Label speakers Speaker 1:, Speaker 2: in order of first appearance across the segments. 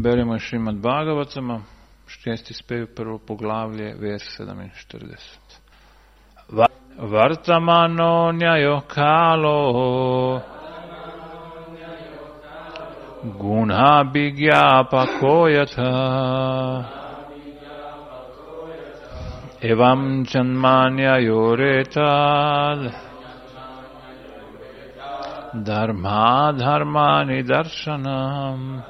Speaker 1: Beremo Šrimad Bhagavatama, 6. spev, prvo poglavlje, vers 47. Vartamano nyayo kalo Gunha bhigyapa koyata Evam janmanya yoretad Dharma dharmani darshanam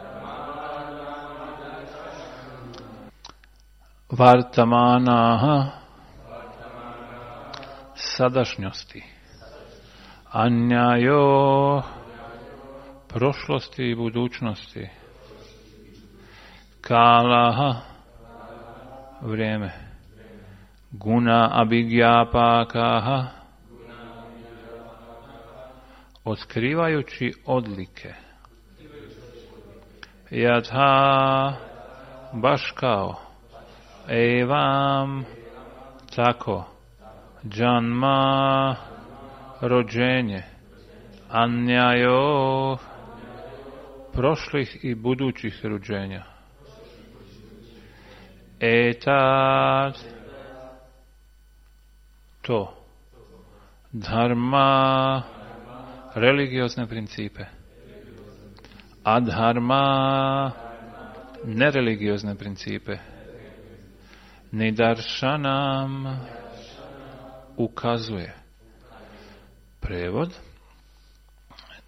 Speaker 1: Vartamana sadašnjosti, anjajo prošlosti i budućnosti, kala vrijeme, guna abhigyapakaha otkrivajući odlike, yatha baš kao, evam tako, janma rođenje, anjajo prošlih i budućih rođenja, etad to, dharma religiozne principe, adharma nereligiozne principe, nidarshanam ukazuje. Prevod: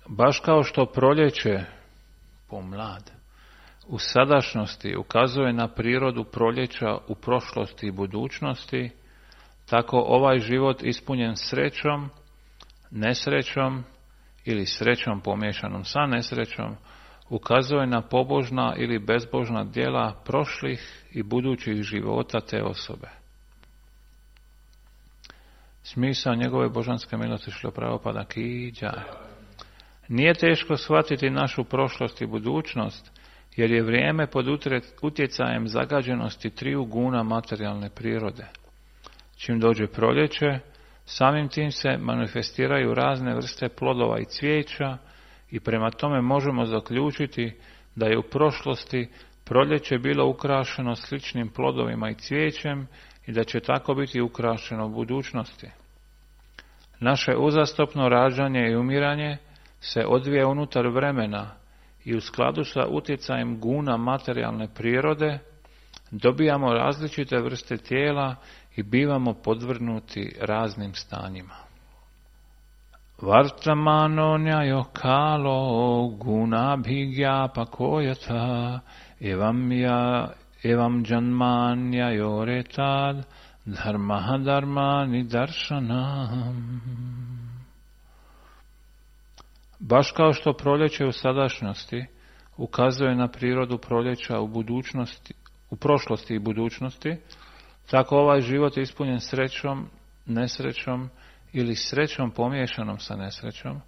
Speaker 1: baš kao što proljeće, pomlad, u sadašnjosti ukazuje na prirodu proljeća u prošlosti i budućnosti, tako ovaj život ispunjen srećom, nesrećom ili srećom pomiješanom sa nesrećom ukazuje na pobožna ili bezbožna djela prošlih i budućih života te osobe. Smisao njegove božanske milosti Šrila Prabhupada ki džaj. Nije teško shvatiti našu prošlost i budućnost, jer je vrijeme pod utjecajem zagađenosti triju guna materijalne prirode. Čim dođe proljeće, samim tim se manifestiraju razne vrste plodova i cvijeća i prema tome možemo zaključiti da je u prošlosti proljeće bilo ukrašeno sličnim plodovima i cvijećem i da će tako biti ukrašeno u budućnosti. Naše uzastopno rađanje i umiranje se odvija unutar vremena i u skladu sa utjecajem guna materijalne prirode dobijamo različite vrste tijela i bivamo podvrgnuti raznim stanjima. Vartamano nyayo kalo guna bhigyapa koyata evam janmanya yoretad dharma dharmani darshanam. Baš kao što proljeće u sadašnjosti ukazuje na prirodu proljeća u prošlosti i budućnosti, tako ovaj život ispunjen srećom, nesrećom ili srećom pomiješanom sa nesrećom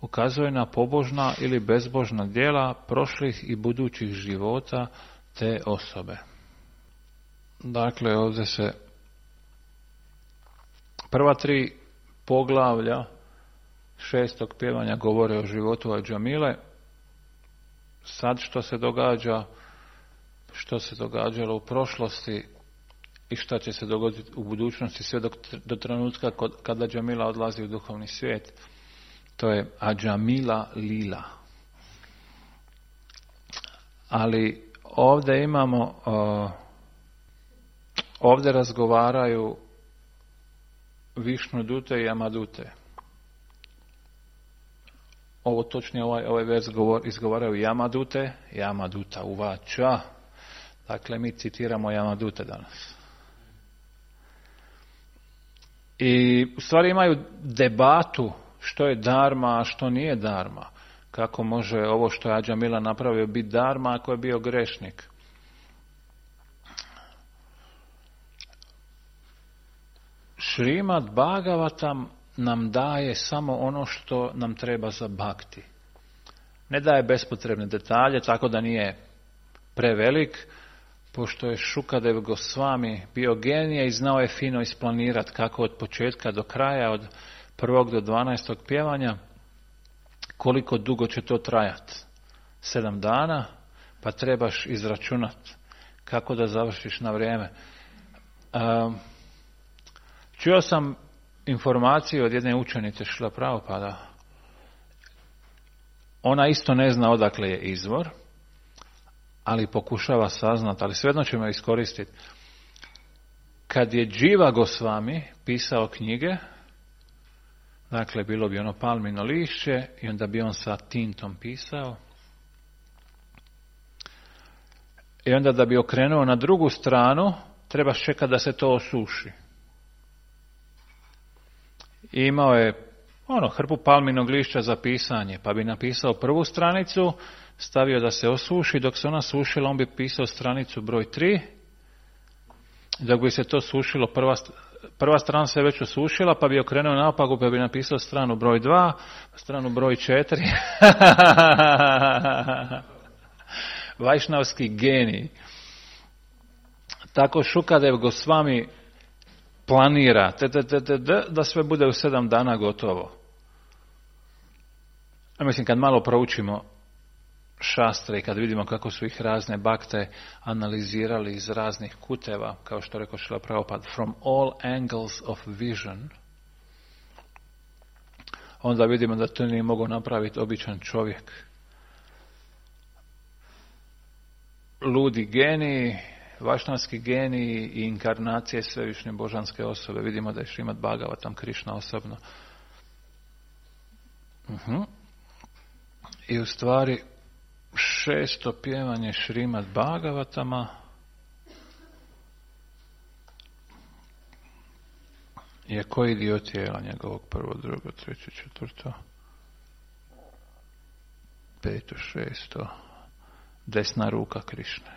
Speaker 1: ukazuje na pobožna ili bezbožna djela prošlih i budućih života te osobe. Dakle, ovdje se prva 3 poglavlja 6. pjevanja govore o životu Adžamile. Sad što se događalo u prošlosti i šta će se dogoditi u budućnosti sve do trenutka kada Adžamila odlazi u duhovni svijet. To je Adžamila lila. Ali ovdje imamo, ovdje razgovaraju Višnudute i Yamadute. Ovo točnije ovaj vers izgovaraju Yamadute, Yamaduta uvača. Dakle, mi citiramo Yamadute danas. I u stvari imaju debatu što je dharma, a što nije dharma. Kako može ovo što je Adžamila napravio biti dharma ako je bio grešnik. Šrimad Bhagavatam nam daje samo ono što nam treba za bhakti. Ne daje bespotrebne detalje, tako da nije prevelik, pošto je Šukadev Gosvami bio genije i znao je fino isplanirati kako od početka do kraja, od 1. do 12. pjevanja, koliko dugo će to trajati. 7 dana, pa trebaš izračunati kako da završiš na vrijeme. Čuo sam informaciju od jedne učenice Šrila Prabhupada. Ona isto ne zna odakle je izvor, ali pokušava saznati, ali svejedno ćemo iskoristiti. Kad je Dživa Gosvami pisao knjige, dakle bilo bi ono palmino lišće i onda bi on sa tintom pisao. I onda da bi okrenuo na drugu stranu, trebaš čekati da se to osuši. I imao je hrpu palminog lišća za pisanje, pa bi napisao prvu stranicu, stavio da se osuši, dok se ona sušila, on bi pisao stranicu broj 3, dok bi se to sušilo, prva strana se već osušila, pa bi okrenuo naopako, pa bi napisao stranu broj 2, stranu broj 4. Vajšnavski genij. Tako Šukadev Gosvami planira da sve bude u 7 dana gotovo. Mislim, kad malo proučimo šastre i kad vidimo kako su ih razne bakte analizirali iz raznih kuteva, kao što rekao Šrila Prabhupada, from all angles of vision, onda vidimo da to nije mogao napraviti običan čovjek. Ludi geniji, vašnavski geniji i inkarnacije svevišnje božanske osobe. Vidimo da je Šrimad Bhagavatam Krišna osobno. I u stvari 6. pjevanje Šrimad Bhagavatama je koji dio tijela njegovog? 1., 2., 3., 4., 5., 6. Desna ruka Krišne.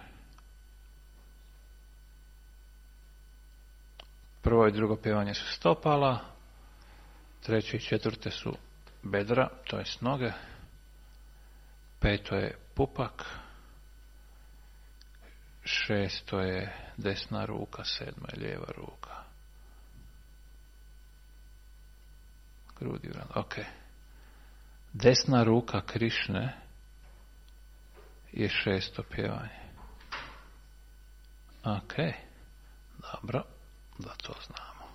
Speaker 1: 1. i 2. pjevanje su stopala, 3. i 4. su bedra, to jest noge, 5. je pupak, 6. je desna ruka, 7. je lijeva ruka. Grudi, ok. Desna ruka Krišne je 6. pjevanje. Ok, dobro, da to znamo.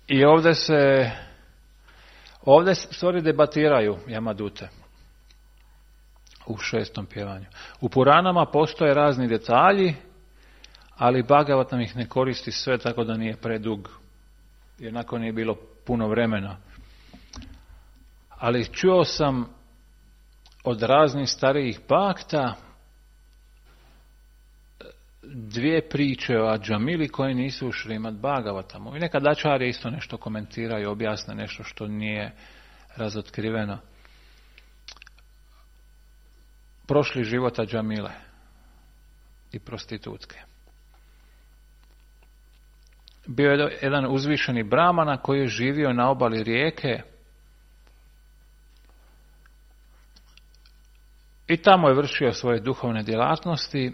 Speaker 1: I ovdje stvari debatiraju Jamadute u 6. pjevanju. U Puranama postoje razni detalji, ali Bhagavatam ih ne koristi sve, tako da nije predug, jer nakon nije bilo puno vremena. Ali čuo sam od raznih starijih bakta 2 priče o Adžamili koje nisu u Šrimad Bhagavatamu. I nekad ačarje isto nešto komentiraju, objasne nešto što nije razotkriveno. Prošli život Adžamile i prostitutke. Bio je jedan uzvišeni brahmana koji je živio na obali rijeke i tamo je vršio svoje duhovne djelatnosti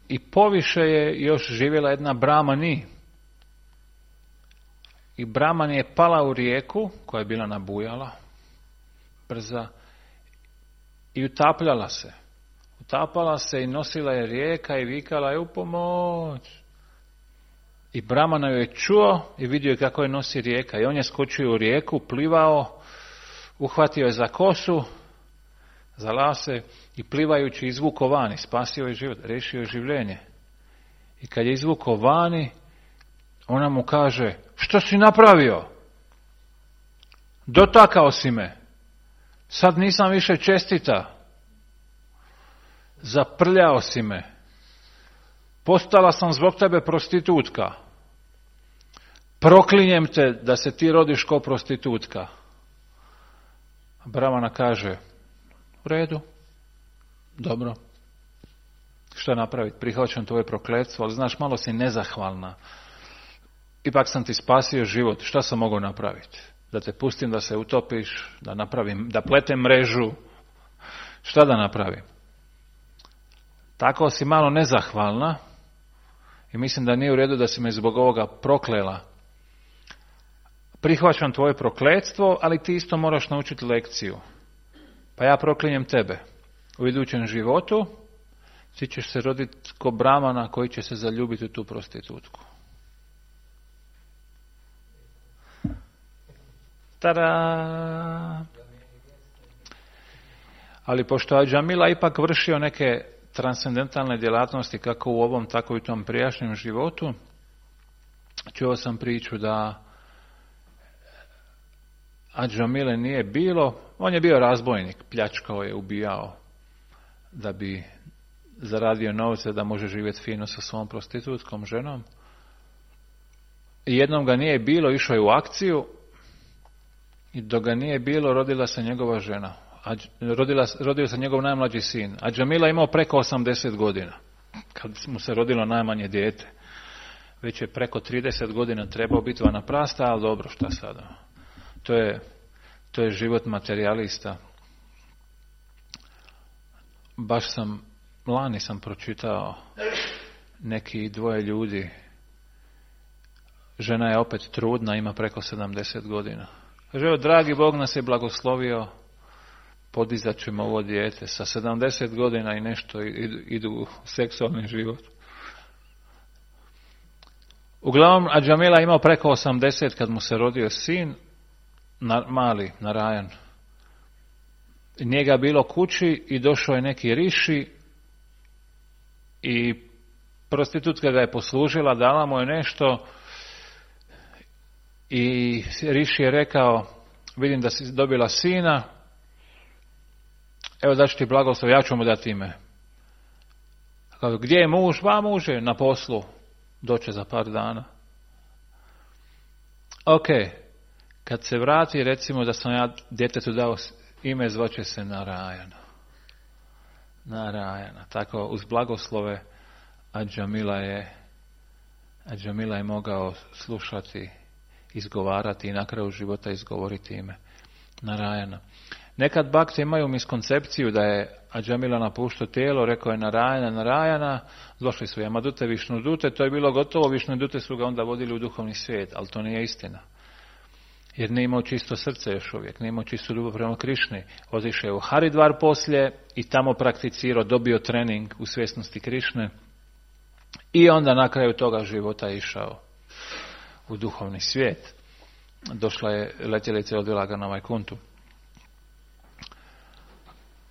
Speaker 1: i poviše je još živjela jedna brahmani. I brahmani je pala u rijeku koja je bila nabujala, brza, i utapljala se. Utapala se i nosila je rijeka i vikala je u pomoć. I brahmana ju je čuo i vidio je kako je nosi rijeka. I on je skočio u rijeku, plivao, uhvatio je za kosu, za lase i plivajući izvuko vani, spasio je život, riješio je življenje. I kad je izvuko vani, ona mu kaže: što si napravio? Dotakao si me. Sad nisam više čestita. Zaprljao si me. Postala sam zbog tebe prostitutka. Proklinjem te da se ti rodiš kao prostitutka. Brahmana kaže: u redu, dobro. Što napraviti? Prihvaćam tvoje prokletstvo, ali znaš, malo si nezahvalna. Ipak sam ti spasio život. Šta sam mogao napraviti? Da te pustim da se utopiš, da pletem mrežu. Šta da napravim? Tako si malo nezahvalna i mislim da nije u redu da si me zbog ovoga proklela. Prihvaćam tvoje prokletstvo, ali ti isto moraš naučiti lekciju. pa ja proklinjem tebe. U idućem životu ti ćeš se roditi ko Bramana koji će se zaljubiti u tu prostitutku. Tada! Ali pošto Adžamila ipak vršio neke transcendentalne djelatnosti kako u ovom, tako i u tom prijašnjem životu, čuo sam priču da Adžamile nije bilo, on je bio razbojnik, pljačkao je, ubijao da bi zaradio novce da može živjeti fino sa svom prostitutskom ženom. I jednom ga nije bilo, išao je u akciju i dok ga nije bilo rodila se njegova žena. Rodio se njegov najmlađi sin. Adžamila imao preko 80 godina kad mu se rodilo najmanje dijete. Već je preko 30 godina trebao biti vanaprasta, ali dobro, šta sada? To je život materijalista. Baš lani sam pročitao neki dvoje ljudi. Žena je opet trudna, ima preko 70 godina. Kaže, dragi Bog nas je blagoslovio, podizat ćemo ovo dijete. Sa 70 godina i nešto idu u seksualni život. Uglavnom, Adžamila imao preko 80 kad mu se rodio sin, mali, Narajan. Nije ga bilo kući i došao je neki riši i prostitutka ga je poslužila, dala mu je nešto i riši je rekao, vidim da si dobila sina, evo daću ti blagoslov, ja ću mu dati ime. Gdje je muž? Va, muž je na poslu, doće za par dana. Ok, kad se vrati, recimo da sam ja djetetu dao ime, zvaće se Narajana. Narajana. Tako uz blagoslove Adžamila je mogao slušati, izgovarati i na kraju života izgovoriti ime Narajana. Nekad bakti imaju miskoncepciju da je Adžamila napuštao tijelo, rekao je Narajana, došli su Jamadute, Višnudute, to je bilo gotovo, Višnudute su ga onda vodili u duhovni svijet, ali to nije istina. Jer nije imao čisto srce još uvijek, nije imao čistu ljubav prema Krišni. Otišao je u Haridvar poslije i tamo prakticirao, dobio trening u svjesnosti Krišne i onda na kraju toga života išao u duhovni svijet. Došla je letjelica i odvela ga na Vajkuntu.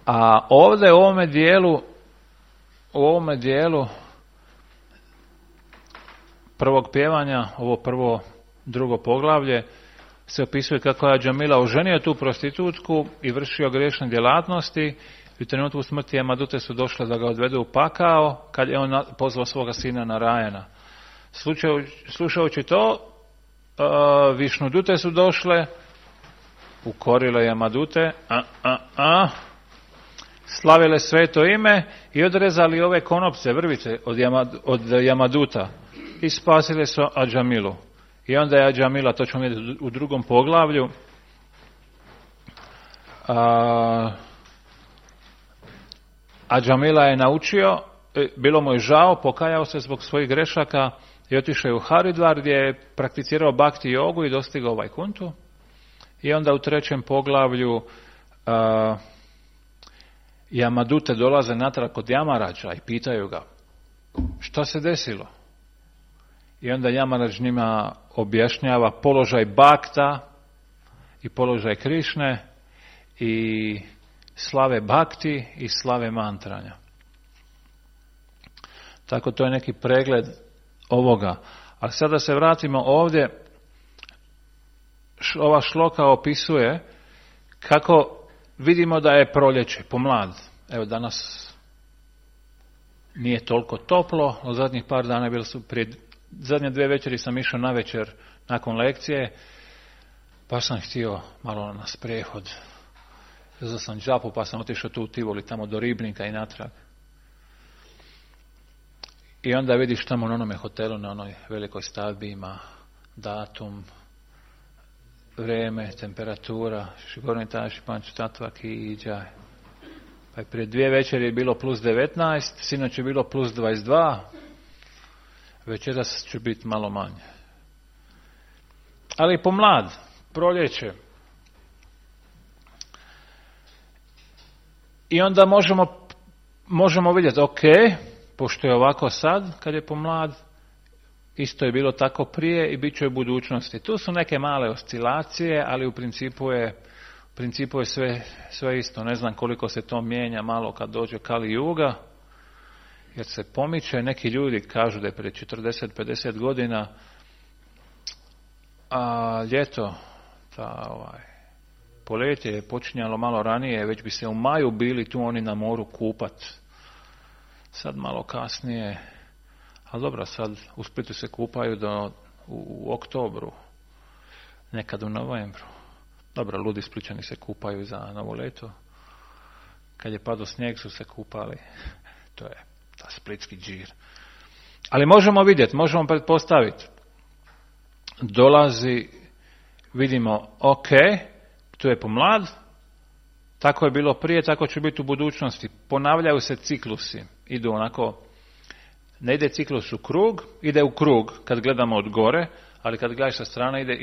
Speaker 1: A ovdje u ovome dijelu prvog pjevanja, ovo drugo poglavlje, se opisuje kako je Adžamila oženio tu prostitutku i vršio grešne djelatnosti i u trenutku smrti Jamadute su došle da ga odvedu u pakao kad je on pozvao svoga sina Narajana. Slušajući to, Višnudute su došle, ukorile Jamadute, slavile sveto ime i odrezali ove konopce, vrvice od Jamaduta i spasile su Adžamilu. I onda je Adžamila, to ćemo vidjeti u drugom poglavlju, Adžamila je naučio, bilo mu je žao, pokajao se zbog svojih grešaka i otišao je u Haridvar gdje je prakticirao bhakti jogu i dostigao Vajkuntu. I onda u trećem poglavlju Jamadute dolaze natrag kod Jamarađa i pitaju ga šta se desilo. I onda Jamarađ njima objašnjava položaj bakta i položaj Krišne i slave bakti i slave mantranja. Tako to je neki pregled ovoga. Ali sada se vratimo ovdje. Ova šloka opisuje kako vidimo da je proljeće, pomlad. Evo danas nije toliko toplo, od zadnjih par dana bili su zadnje 2 večeri sam išao na večer nakon lekcije, pa sam htio malo na sprehod. Uzeo sam džapu pa sam otišao tu u Tivoli, tamo do Ribnika i natrag. I onda vidiš tamo na onome hotelu, na onoj velikoj stavbi ima datum, vrijeme, temperatura, Šigorni taši, panču tatvak i džaj. Pa je prije 2 večeri je bilo plus 19, sinoć je bilo plus 22, večeras će biti malo manje. Ali pomlad, proljeće. I onda možemo vidjeti, ok, pošto je ovako sad, kad je pomlad, isto je bilo tako prije i bit će u budućnosti. Tu su neke male oscilacije, ali u principu je sve isto. Ne znam koliko se to mijenja malo kad dođe Kali Juga, jer se pomiče. Neki ljudi kažu da je prije 40-50 godina a ljeto, poletje je počinjalo malo ranije, već bi se u maju bili tu oni na moru kupat. Sad malo kasnije, ali dobro, sad u Splitu se kupaju u oktobru, nekad u novembru. Dobro, ludi Splićani se kupaju za novo leto. Kad je padao snijeg su se kupali. To je ta splitski džir. Ali možemo vidjeti, možemo pretpostaviti. Dolazi, vidimo, ok, tu je pomlad, tako je bilo prije, tako će biti u budućnosti. Ponavljaju se ciklusi, idu onako, ne ide ciklus u krug, ide u krug kad gledamo od gore, ali kad gledaš sa strane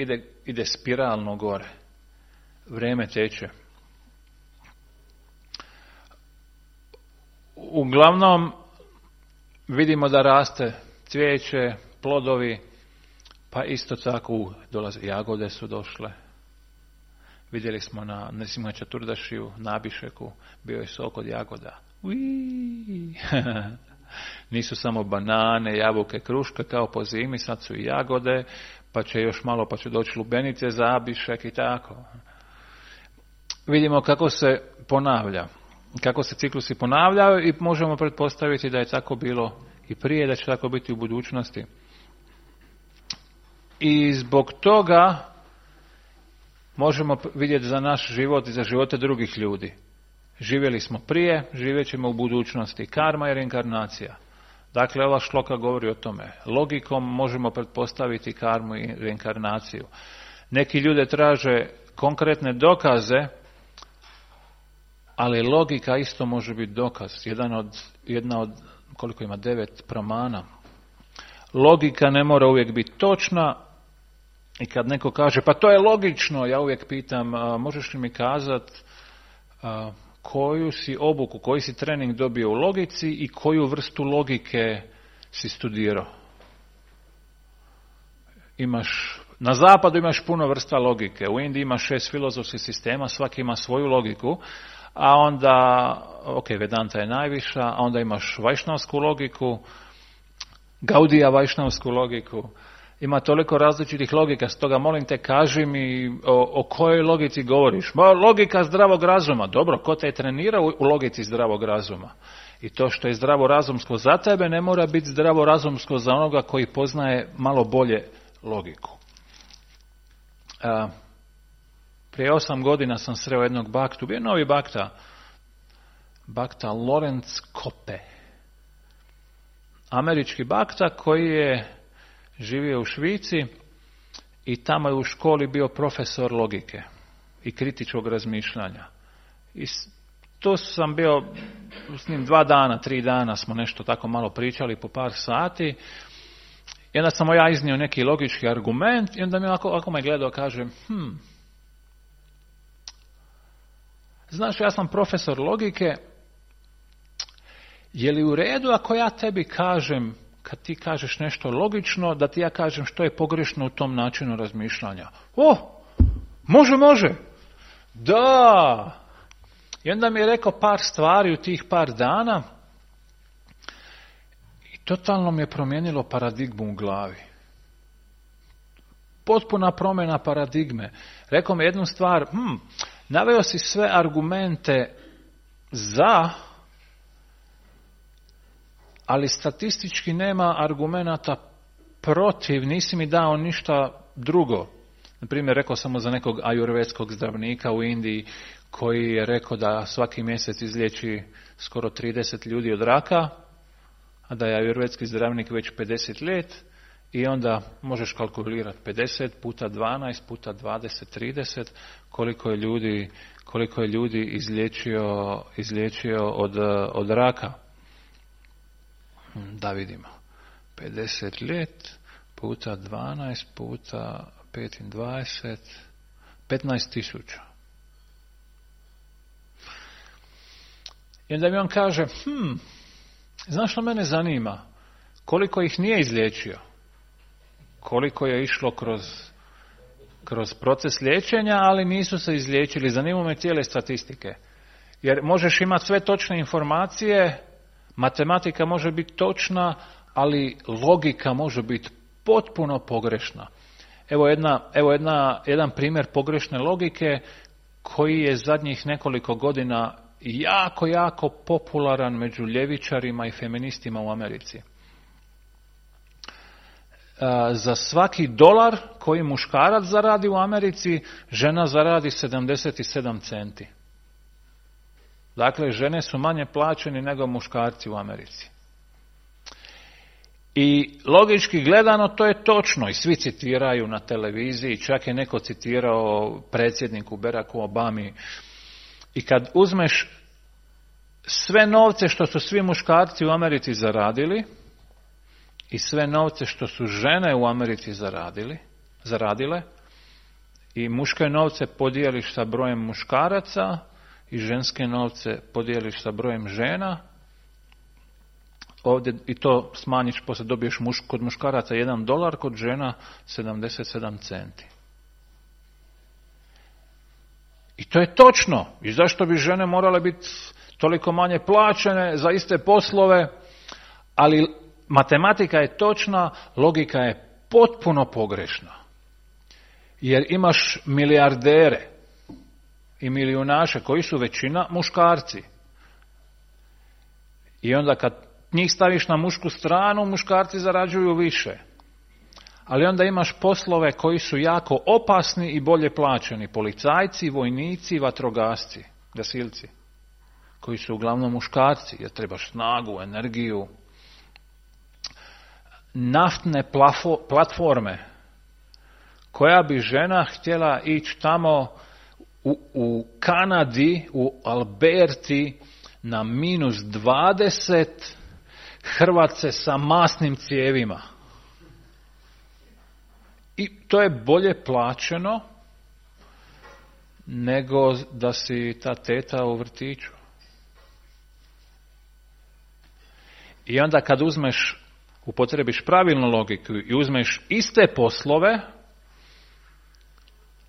Speaker 1: ide spiralno gore. Vrijeme teče. Uglavnom vidimo da raste cvijeće, plodovi, pa isto tako dolaze jagode su došle. Vidjeli smo na Čaturdašiju, na Abišeku, bio je sok od jagoda. Nisu samo banane, jabuke, kruške kao po zimi, sad su i jagode, pa će još malo, pa će doći lubenice za Abišek i tako. Vidimo kako se ponavlja, kako se ciklusi ponavljaju i možemo pretpostaviti da je tako bilo i prije, da će tako biti u budućnosti. I zbog toga možemo vidjeti za naš život i za živote drugih ljudi. Živjeli smo prije, živjet ćemo u budućnosti. Karma je reinkarnacija. Dakle, ova šloka govori o tome. Logikom možemo pretpostaviti karmu i reinkarnaciju. Neki ljudi traže konkretne dokaze, ali logika isto može biti dokaz. Jedna od koliko ima 9 pramana. Logika ne mora uvijek biti točna i kad neko kaže pa to je logično, ja uvijek pitam možeš li mi kazati koju si obuku, koji si trening dobio u logici i koju vrstu logike si studirao. Na zapadu imaš puno vrsta logike, u Indiji imaš 6 filozofskih sistema, svaki ima svoju logiku, a onda, Vedanta je najviša, a onda imaš vajšnavsku logiku, Gaudija vajšnavsku logiku, ima toliko različitih logika, stoga molim te kaži mi o kojoj logici govoriš. Logika zdravog razuma, dobro, ko te je trenirao u logici zdravog razuma? I to što je zdravorazumsko za tebe ne mora biti zdravorazumsko za onoga koji poznaje malo bolje logiku. Prije 8 godina sam sreo jednog baktu, bio novi bakta Lorenz Koppe. Američki bakta koji je živio u Švici i tamo je u školi bio profesor logike i kritičkog razmišljanja. I tu sam bio s njim 2 dana, 3 dana smo nešto tako malo pričali po par sati. I onda sam ja iznio neki logički argument i onda mi ako me gledao kaže znaš, ja sam profesor logike, je li u redu ako ja tebi kažem, kad ti kažeš nešto logično, da ti ja kažem što je pogrešno u tom načinu razmišljanja? Može. Da. I onda mi je rekao par stvari u tih par dana i totalno mi je promijenilo paradigmu u glavi. Potpuna promjena paradigme. Rekao mi jednu stvar, naveo si sve argumente za, ali statistički nema argumenata protiv, nisi mi dao ništa drugo. Naprimjer, rekao sam mu za nekog ajurvedskog zdravnika u Indiji koji je rekao da svaki mjesec izliječi skoro 30 ljudi od raka, a da je ajurvedski zdravnik već 50 let i onda možeš kalkulirati 50 puta 12 puta 20, 30 koliko je ljudi izliječio od raka. Da vidimo. 50 let puta 12 puta 25, 15.000. I onda mi on kaže, znaš što mene zanima? Koliko ih nije izliječio? Koliko je išlo kroz proces liječenja, ali nisu se izliječili. Zanima me cijele statistike. Jer možeš imati sve točne informacije, matematika može biti točna, ali logika može biti potpuno pogrešna. Evo jedan primjer pogrešne logike koji je zadnjih nekoliko godina jako, jako popularan među ljevičarima i feministima u Americi. Za svaki dolar koji muškarac zaradi u Americi, žena zaradi 77 centi. Dakle, žene su manje plaćene nego muškarci u Americi. I logički gledano to je točno i svi citiraju na televiziji, čak je neko citirao predsjedniku Baracku Obami. I kad uzmeš sve novce što su svi muškarci u Americi zaradili i sve novce što su žene u Americi zaradile i muške novce podijeliš sa brojem muškaraca i ženske novce podijeliš sa brojem žena, ovdje i to smanjiš, poslije dobiješ kod muškaraca $1, kod žena 77 centi. I to je točno. I zašto bi žene morale biti toliko manje plaćene za iste poslove? Ali matematika je točna, logika je potpuno pogrešna. Jer imaš milijardere i milijunaše koji su većina muškarci. I onda kad njih staviš na mušku stranu, muškarci zarađuju više. Ali onda imaš poslove koji su jako opasni i bolje plaćeni. Policajci, vojnici, vatrogasci, gasilci. Koji su uglavnom muškarci, jer trebaš snagu, energiju. Naftne platforme. Koja bi žena htjela ići tamo u Kanadi, u Alberti, na -20, hrvat se sa masnim cijevima. I to je bolje plaćeno nego da si ta teta u vrtiću. I onda kad upotrebiš pravilnu logiku i uzmeš iste poslove,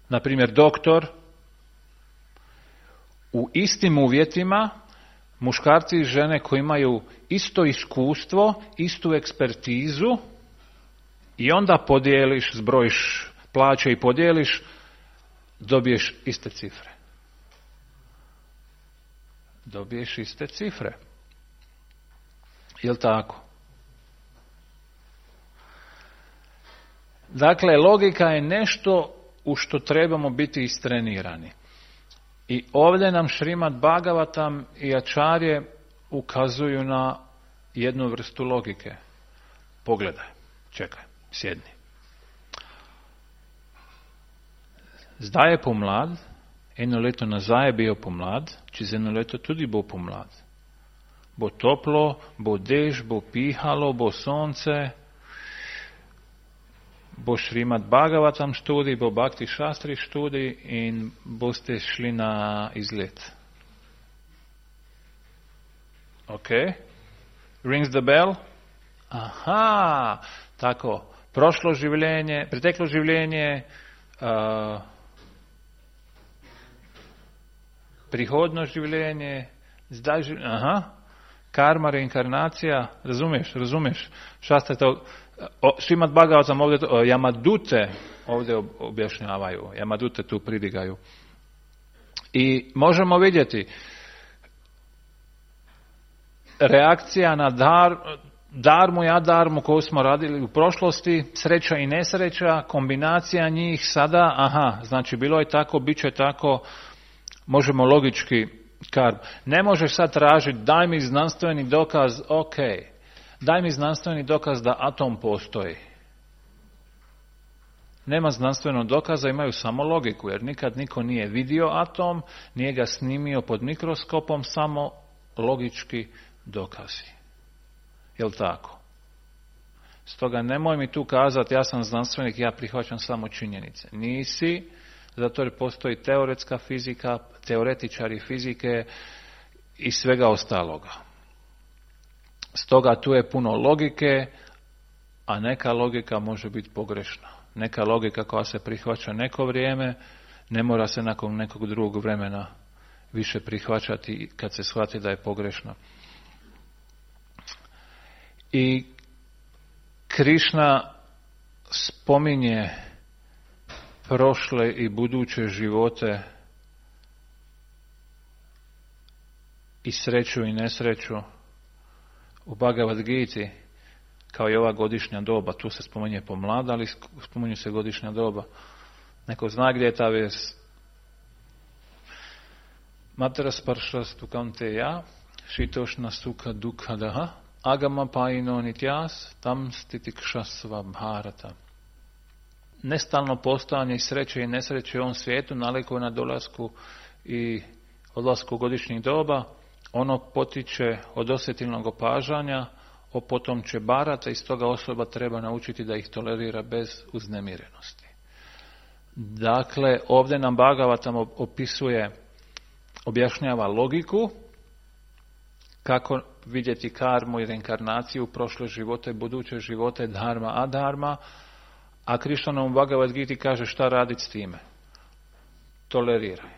Speaker 1: na primjer doktor, u istim uvjetima, muškarci i žene koji imaju isto iskustvo, istu ekspertizu, i onda podijeliš, zbrojiš plaće i podijeliš, dobiješ iste cifre. Dobiješ iste cifre. Jel' tako? Dakle, logika je nešto u što trebamo biti istrenirani. I ovdje nam Šrimad Bhagavatam i Ačarje ukazuju na jednu vrstu logike. Pogledaj, čekaj, sjedni. Zdaj je pomlad, eno leto nazaj je bil pomlad, čez eno leto tudi bo pomlad. Bo toplo, bo dež, bo pihalo, bo sonce, bo Šrimad Bhagavatam študij, bo Bhakti Šastri študij in boste šli na izlet. Ok? Rings the bell? Aha, tako. Preteklo življenje, prihodno življenje, zdaj življenje, aha. Karma, reinkarnacija, razumiješ. Šastre to, Šrimad Bhagavatam ovdje, Yamadute ovdje objašnjavaju, Yamadute tu pridigaju. I možemo vidjeti reakcija na darmu i adarmu koju smo radili u prošlosti, sreća i nesreća, kombinacija njih sada, aha, znači bilo je tako, bit će tako, možemo logički ne možeš sad tražiti, daj mi znanstveni dokaz, ok, daj mi znanstveni dokaz da atom postoji. Nema znanstvenog dokaza, imaju samo logiku, jer nikad niko nije vidio atom, nije ga snimio pod mikroskopom, samo logički dokazi. Jel' tako? Stoga nemoj mi tu kazati, ja sam znanstvenik, ja prihvaćam samo činjenice. Nisi, zato jer postoji teoretska fizika, teoretičari fizike i svega ostaloga. Stoga tu je puno logike, a neka logika može biti pogrešna. Neka logika koja se prihvaća neko vrijeme, ne mora se nakon nekog drugog vremena više prihvaćati kad se shvati da je pogrešna. I Krišna spominje prošle i buduće živote i sreću i nesreću u Bhagavad Giti, kao i ova godišnja doba. Tu se spominje pomlada, ali spominje se godišnja doba. Neko zna gdje je ta vijest? Matra sparšastu kanteja, šitošna suka dukhadaha, agama paino nitjas, tam stitikšasva bharata. Nestalno postojanje sreće i nesreće u ovom svijetu nalikuje na dolasku i odlasku godišnjih doba. Ono potiče od osjetilnog opažanja, opotomče barata i stoga osoba treba naučiti da ih tolerira bez uznemirenosti. Dakle, ovdje nam Bhagavatam objašnjava logiku, kako vidjeti karmu i reinkarnaciju, prošle živote, buduće živote, dharma, adharma, a Krišna nam u Bhagavad Giti kaže šta raditi s time. Toleriraj.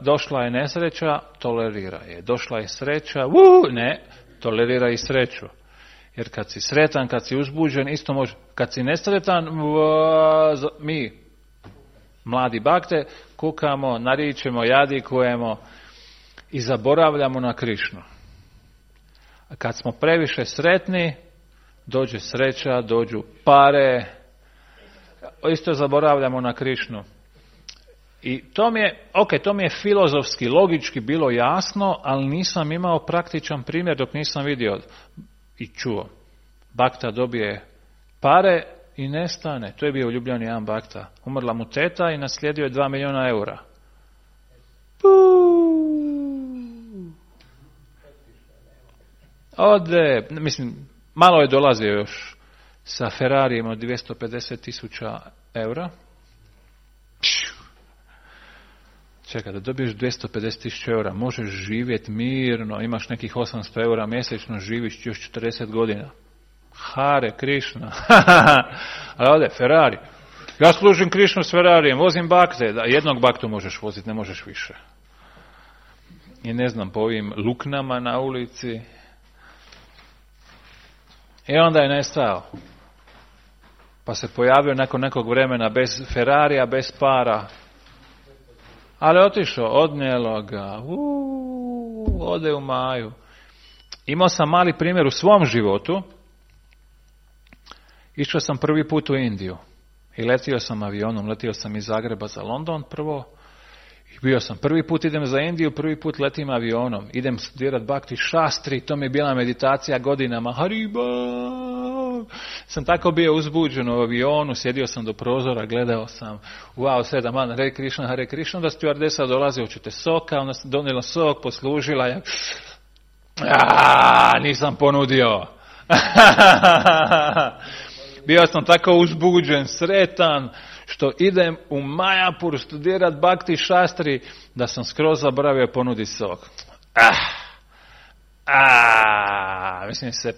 Speaker 1: Došla je nesreća, toleriraj je. Došla je sreća, ne, toleriraj i sreću. Jer kad si sretan, kad si uzbuđen, isto može. Kad si nesretan, mi, mladi bakte, kukamo, naričemo, jadikujemo i zaboravljamo na Krišnu. A kad smo previše sretni, dođe sreća, dođu pare, isto zaboravljamo na Krišnu. I to mi je filozofski, logički bilo jasno, ali nisam imao praktičan primjer dok nisam vidio i čuo. Bakta dobije pare i nestane. To je bio uljubljeni jedan bakta. Umrla mu teta i naslijedio je 2 milijuna eura. Ode, malo je dolazio još sa Ferrarijem od 250.000 eura. Čekaj, da dobiješ 250.000 eura, možeš živjeti mirno, imaš nekih 800 eura mjesečno, živiš još 40 godina. Hare Krišna. Ali ovdje, Ferrari. Ja služim Krišnu s Ferrarijem, vozim bakte. Da, jednog baktu možeš voziti, ne možeš više. I ne znam, po ovim luknama na ulici. I onda je nestao. Pa se pojavio nakon nekog vremena bez Ferrarija, bez para. Ali otišao, odnijelo ga, ode u Maju. Imao sam mali primjer u svom životu. Išao sam prvi put u Indiju i letio sam avionom, letio sam iz Zagreba za London prvo. I bio sam, prvi put idem za Indiju, prvi put letim avionom. Idem studirati Bhakti Shastri, to mi je bila meditacija godinama. Hariba! Sam tako bio uzbuđen u avionu, sjedio sam do prozora, gledao sam, wow, 7 man, Hare Krishna, da stewardesa dolazi, hoćete soka, ona donijela sok, poslužila je. Nisam ponudio. Bio sam tako uzbuđen, sretan, što idem u Majapur studirati Bhakti Shastri, da sam skroz zaboravio ponuditi sok. Mislim se,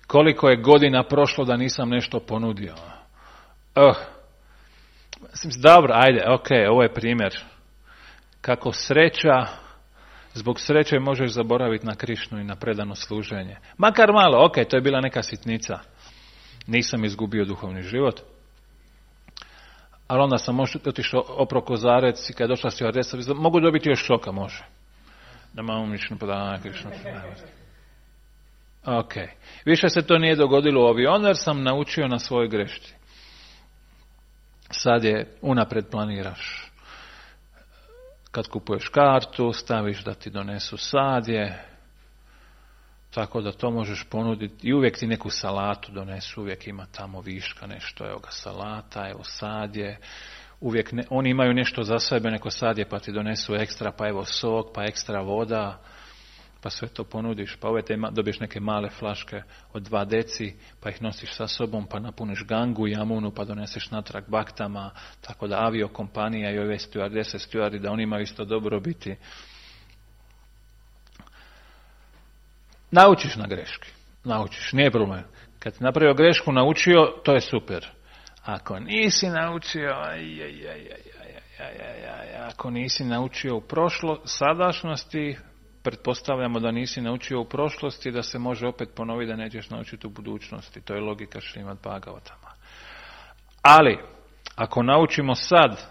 Speaker 1: koliko je godina prošlo da nisam nešto ponudio. Dobro, ajde, ovo je primjer. Kako sreća, zbog sreće možeš zaboraviti na Krišnu i na predano služenje. Makar malo, to je bila neka sitnica. Nisam izgubio duhovni život. Ali onda sam otišao opro Kozarec i kad je došla stewardesa, mogu dobiti još soka, može. Da malo mišljeno podavanje Krišnu. Više se to nije dogodilo u avionu jer sam naučio na svojoj grešci. Sad je unapred planiraš. Kad kupuješ kartu, staviš da ti donesu sadje, tako da to možeš ponuditi. I uvijek ti neku salatu donesu, uvijek ima tamo viška nešto, evo ga salata, evo sadje. Uvijek oni imaju nešto za sebe, neko sadje pa ti donesu ekstra, pa evo sok, pa ekstra voda. Pa sve to ponudiš, pa dobiješ neke male flaške od 2 deci, pa ih nosiš sa sobom, pa napuniš Gangu, Jamunu, pa doneseš natrag baktama, tako da aviokompanija i ove stewardese, stewardi, da oni imaju isto dobrobiti. Naučiš na greški. Naučiš, nije problem. Kad si napravio grešku, naučio, to je super. Ako nisi naučio, ako nisi naučio u sadašnjosti, pretpostavljamo da nisi naučio u prošlosti, da se može opet ponoviti da nećeš naučiti u budućnosti. To je logika Šrimad Bhagavatama. Ali, ako naučimo sad,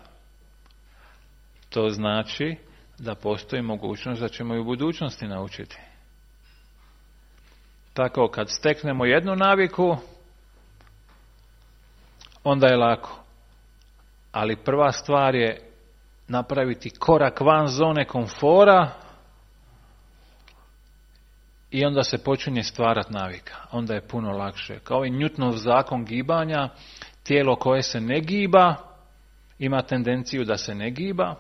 Speaker 1: to znači da postoji mogućnost da ćemo i u budućnosti naučiti. Tako, kad steknemo jednu naviku, onda je lako. Ali prva stvar je napraviti korak van zone komfora i onda se počinje stvarati navika. Onda je puno lakše. Kao i Newtonov zakon gibanja, tijelo koje se ne giba ima tendenciju da se ne giba,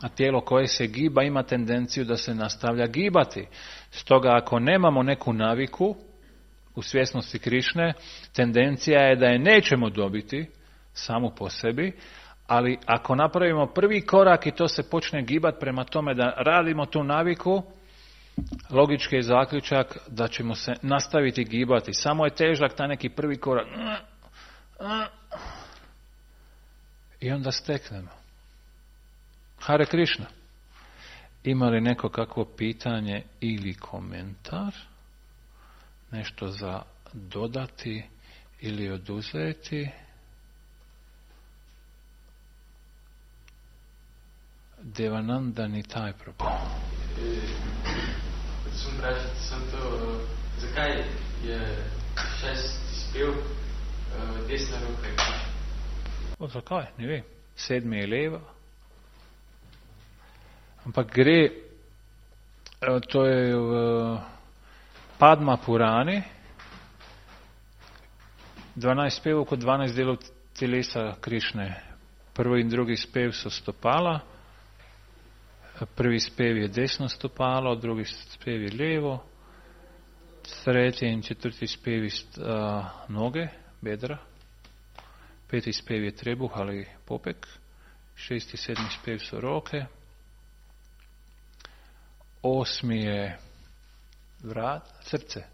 Speaker 1: a tijelo koje se giba ima tendenciju da se nastavlja gibati. Stoga ako nemamo neku naviku u svjesnosti Krišne, tendencija je da je nećemo dobiti samu po sebi, ali ako napravimo prvi korak i to se počne gibati prema tome da radimo tu naviku, logički je zaključak da ćemo se nastaviti gibati. Samo je težak taj neki prvi korak. I onda steknemo. Hare Krišna. Ima li neko kakvo pitanje ili komentar? Nešto za dodati ili oduzeti? Devananda Nitai Prabhu.
Speaker 2: Sem vprašati sem to, zakaj je 6. spev desna roka?
Speaker 1: Zakaj? Ne vem. 7. je leva. Ampak gre, to je v Padma Purani, 12 spevov kot 12 delov telesa Krišne. Prvi in drugi spev so stopala, prvi spev je desno stopalo, drugi spev je levo, tretji in četrti spev je noge, bedra, peti spev je trebuh ali popek, 6. in 7. spev so roke, 8. je vrat, srce.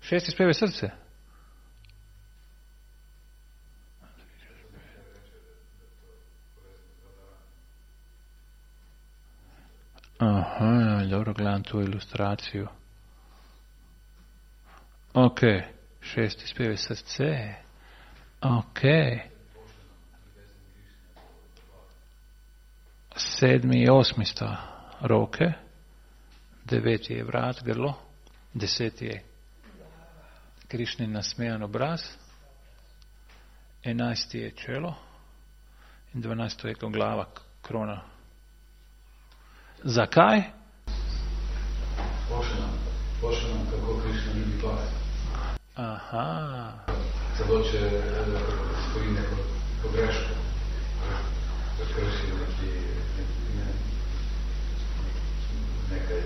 Speaker 1: 6. spev je srce. Aha, dobro, gledam tu ilustraciju. Ok, 6. spev je srce. Ok. 7. i 8. sta roke. 9. je vrat, grlo. 10. je Krišnin nasmejan obraz. 11. je čelo. In 12. je glava, krona. Zakaj?
Speaker 3: Pošle nam kako Krišna ljubi pas.
Speaker 1: Aha.
Speaker 3: Celo če stoji neko pogreško, da krši nekaj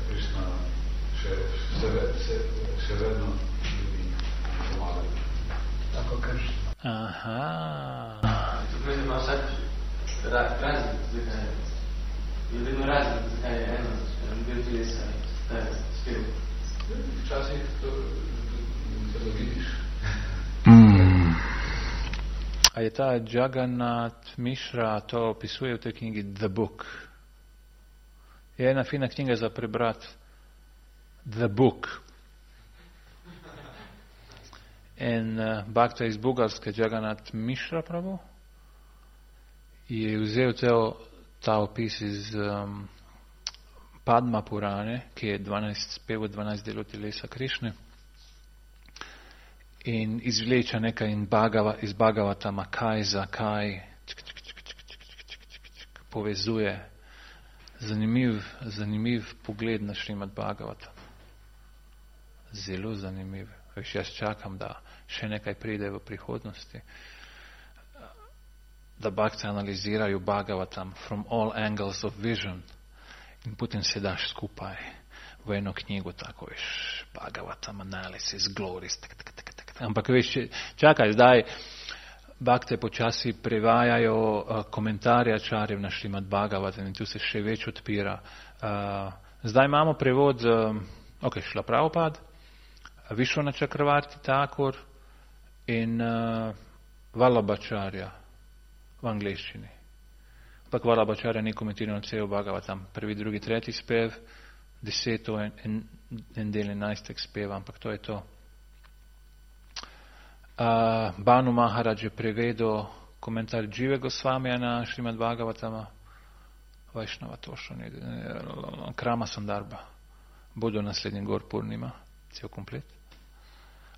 Speaker 3: Krišna še vedno ljubi pomagati. Tako Krišna.
Speaker 1: Aha.
Speaker 2: Tukaj ima vsak razlik, zakaj je vedno razlik, zakaj je eno del telesa, ta je spev.
Speaker 3: Včasih to vidiš.
Speaker 1: A je ta Jagannath Mishra to opisuje v tej knjigi The Book. Je ena fina knjiga za prebrat. The Book. In Bhakta iz Bugarske, Jagannath Mishra Prabhu, je vzel ta opis iz Padma Purane, ki je 12 spev, 12 delov telesa Krišne, in izvleča nekaj iz Bhagavatama, kaj, zakaj, povezuje. Zanimiv pogled na Šrimad Bhagavatam. Zelo zanimiv. Veš, jaz čakam, da še nekaj pride v prihodnosti. Da bhakti analizirajo Bhagavatam from all angles of vision in potem se daš skupaj v eno knjigo, tako veš, Bhagavatam analysis, glories, Ampak veš, čakaj, zdaj Bakte počasi prevajajo komentarje Acharjev na Šrimad Bhagavatam in tu se še več odpira. Zdaj imamo prevod Šrila Prabhupada, Vishwanath Chakravarti Thakur in Vallabhacharya v angleščini. Ampak Vallabhacharya ni komentiral cel Bhagavatam, prvi, drugi, tretji spev, 10. in del 11. speva, ampak to je to. Banu Maharaj je prevedel komentar Jive Gosvamija na Šrimad Bhagavatama, Vajšnava Tošani, Krama Sandarba, bodo naslednji Gor Purnima, cel komplet.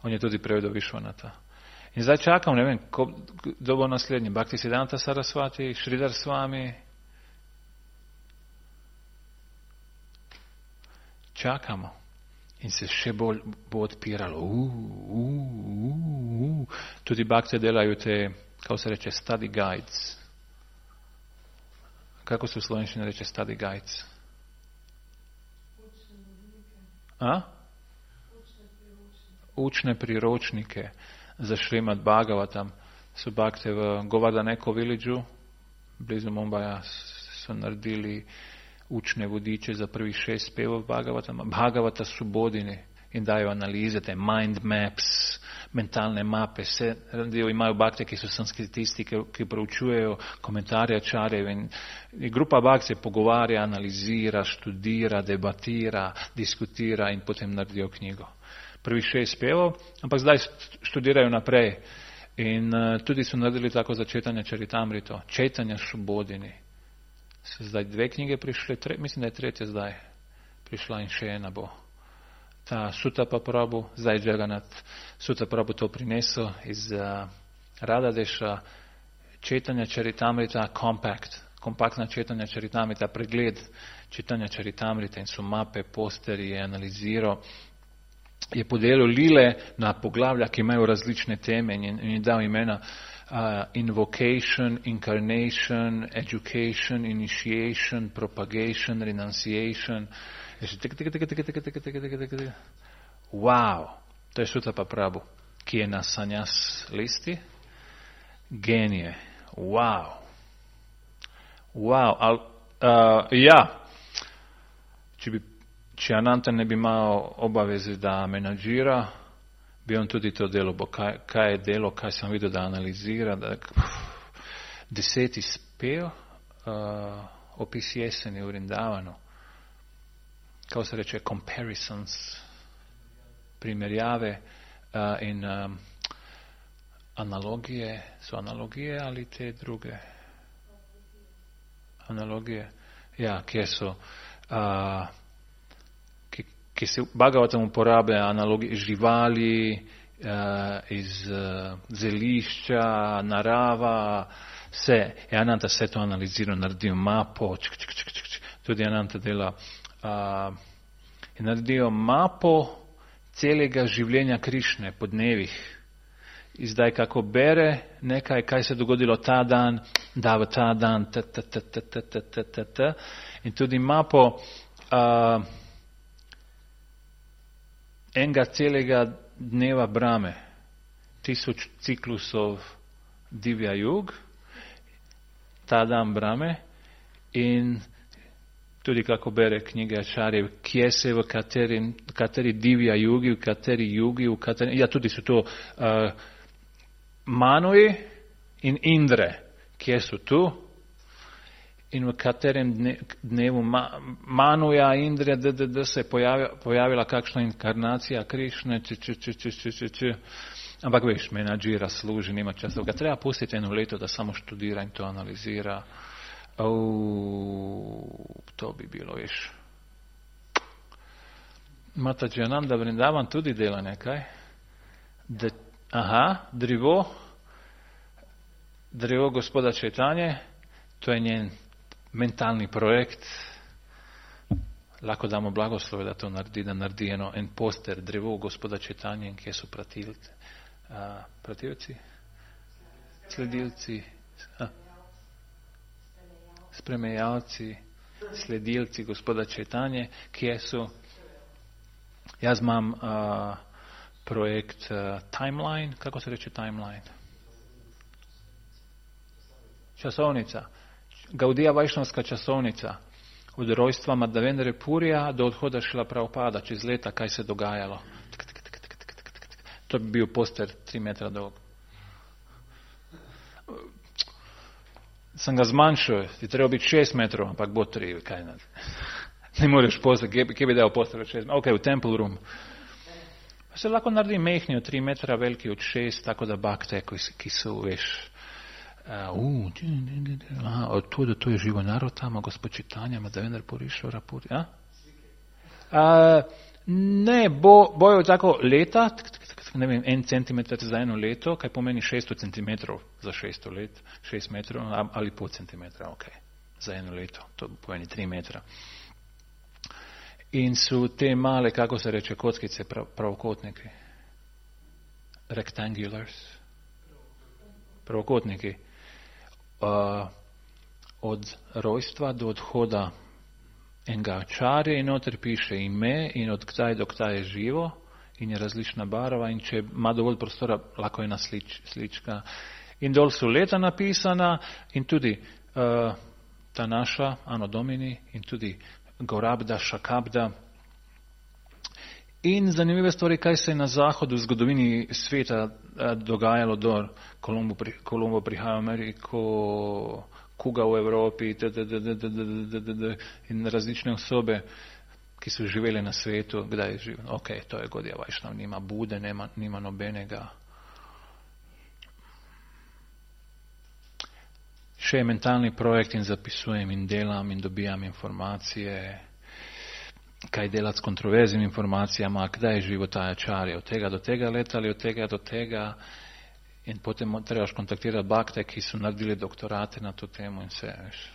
Speaker 1: On je tudi prevedel Vishwanatha. In zdaj čakam, ne vem, kdo bo naslednji, Bhaktisiddhanta Sarasvati, Sridhar Swami. Čakamo. In se še bolj bo odpiralo. Tudi bakte delajo te, kako se reče, study guides. Kako se v slovenščini reče study guides? Učne priročnike za Šrimad Bhagavatam so bakte v Govardhaneko villageu, blizu Mumbaja, so naredili učne vodiče za prvih 6 spevov Bhagavata Subodhini in dajo analize, te mind maps, mentalne mape, vse imajo bakte, ki so sanskritisti, ki proučujejo komentarje Acharjev in grupa bakt se pogovarja, analizira, študira, debatira, diskutira in potem naredijo knjigo. Prvih 6 spevov, ampak zdaj študirajo naprej in tudi so naredili tako za Chaitanya Charitamrito, Chaitanya Subodhini. So zdaj 2 knjige prišle, mislim, da je 3. zdaj prišla in še ena bo. Ta Sutta Prabhu, zdaj Jagannath Sutta Prabhu to prinesel iz Radhadeša, Chaitanya Charitamrita kompaktna Chaitanya Charitamrita, pregled Chaitanya Charitamrita in so mape, posteri, je analiziral, je podelil lile na poglavlja, ki imajo različne teme in je dal imena invocation, incarnation, education, initiation, propagation, renunciation. Wow, to je Sutta Prabhu, ki je na sannyas listi. Genije. Wow. Če Ananta ne bi imel obaveze, da menadžira, bi on tudi to delo, kaj je delo, kaj sem videl, da analizira. 10. spev, opis jeseni v Vrindavanu, kako se reče, comparisons, primerjave in analogije, so analogije ali te druge? Analogije, ja, kje so, ki se v Bhagavatam uporablja analogije živali, iz zelišča, narava, vse. Ananta vse to analizira, naredil mapo, tudi Ananta dela, in naredijo mapo celega življenja Krišne po dnevih. In zdaj, kako bere nekaj, kaj se je dogodilo ta dan, da v ta dan, in tudi mapo enega celega dneva Brahme, 1000 ciklusov Divya Yug, ta dan Brahme, in tudi kako bere knjige Acharjev, kje se v kateri Divya Yugi, v kateri Yugi, tudi so to Manoji in Indre, kje so tu, in v katerem dnevu Manuja, Indre, se je pojavila kakšna inkarnacija Krišne, ampak veš, menadžira, služi, nima časa, ga treba pustiti 1 leto, da samo študira in to analizira. To bi bilo, veš. Mataji Ananda Vrindavan tudi dela nekaj. Drevo gospoda Chaitanje, to je njen mentalni projekt. Lahko damo blagoslove, da to naredi, da naredi en poster drevo gospoda Chaitanje, in kje so pratilci, sledilci, spremljevalci, sledilci gospoda Chaitanje, kje so. Jaz imam projekt Timeline, kako se reče Timeline? časovnica. Gaudija Vajšnavska časovnica. Od rojstva Madhavendra Purija do odhoda Šrila Prabhupada, čez leta, kaj se dogajalo. To bi bio poster 3 metra dolg. Sam ga zmanjšao, ti treba biti 6 metrov, ampak bo 3, kaj ne moreš poster, kje bi dal poster od 6 metrov? Ok, v Temple Room. Pa se lahko naredi mehni od 3 metra, veliki od 6, tako da bakte, ki so, veš, od tu do tu je živo narod tamo, gospod Čitanja, Madhavendra Purishvara Puri, ne, bojo tako leta, ne vem, 1 centimeter za 1 leto, kaj pomeni 600 centimetrov za 600 let, 6 metrov ali pol centimetra, ok, za 1 leto, to pomeni 3 metra. In su te male, kako se reče, kockice, pravokotniki, rectangulars, pravokotniki, od rojstva do odhoda enega acharje in noter piše ime in od kdaj do kdaj je živo in je različna barva in če ima dovolj prostora, lahko je ena slička. In dol so leta napisana in tudi ta naša, Anno Domini, in tudi Gorabda, Šakabda. In zanimive stvari, kaj se je na zahodu v zgodovini sveta dogajalo do Kolumbo prihaja v Ameriko, Kuga v Evropi in različne osobe, ki so živeli na svetu, kdaj je živel. Ok, to je Gaudija Vajšnava, nima Bude, nima nobenega. Še je mentalni projekt in zapisujem in delam in dobijam informacije, kaj delati s kontroverznim informacijama, kdaj je živo ta acharya, od tega do tega leta ali od tega do tega. In potem trebaš kontaktirati bakte, ki so naredili doktorate na to temo in vse, veš.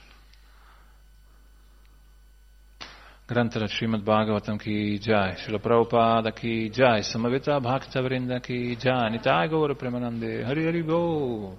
Speaker 1: Grantara Srimad Bhagavatam ki jai, Srila Prabhupada ki jai, Samavita Bhakta Vrinda ki jai, Nitai Gaura Premanande, Hari Hari Bo.